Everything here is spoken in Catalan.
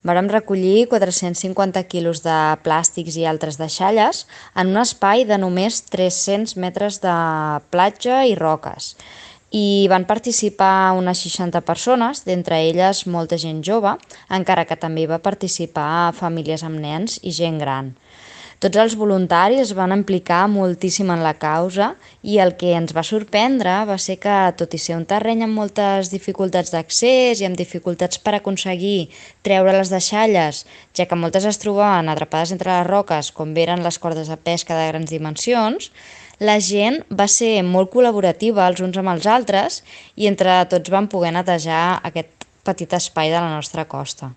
Vàrem recollir 450 quilos de plàstics i altres deixalles en un espai de només 300 metres de platja i roques. I van participar unes 60 persones, d'entre elles molta gent jove, encara que també va participar famílies amb nens i gent gran. Tots els voluntaris es van implicar moltíssim en la causa i el que ens va sorprendre va ser que, tot i ser un terreny amb moltes dificultats d'accés i amb dificultats per aconseguir treure les deixalles, ja que moltes es trobaven atrapades entre les roques, com eren les cordes de pesca de grans dimensions, la gent va ser molt col·laborativa els uns amb els altres i entre tots vam poder netejar aquest petit espai de la nostra costa.